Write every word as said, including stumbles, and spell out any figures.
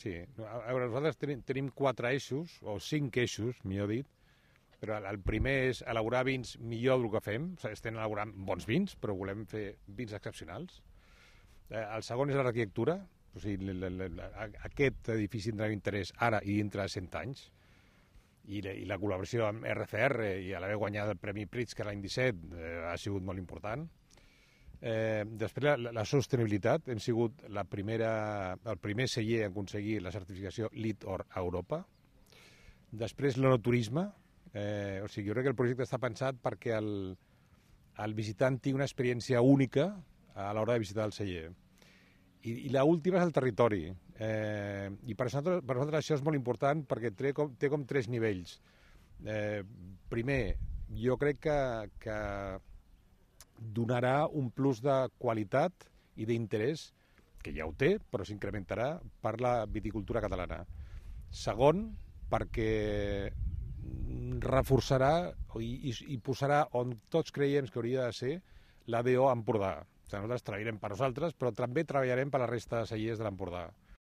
Sí. A veure, nosaltres tenim, tenim quatre eixos, o cinc eixos, millor dit, però el primer és elaborar vins millor del que fem. O sigui, estem elaborant bons vins, però volem fer vins excepcionals. Eh, el segon és l'arquitectura. O sigui, l, l, l, aquest edifici tindrà interès ara i dintre de cent anys. I, i la col·laboració amb R C R i a l'haver guanyat el Premi Pritzker l'any disset eh, ha sigut molt important. Eh, després la, la sostenibilitat. Hem sigut la primera, el primer celler a aconseguir la certificació LEED Or a Europa. Després l'enoturisme. Eh, o sigui, jo crec que el projecte està pensat perquè el, el visitant tingui una experiència única a l'hora de visitar el celler. I, i l'última és el territori. Eh, I per nosaltres, per nosaltres això és molt important perquè té com, té com tres nivells. Eh, primer, jo crec que, que donarà un plus de qualitat i d'interès, que ja ho té, però s'incrementarà per la viticultura catalana. Segon, perquè reforçarà i, i, i posarà on tots creiem que hauria de ser l'A D O Empordà. O sigui, nosaltres treballarem per nosaltres, però també treballarem per la resta de cellers de l'Empordà.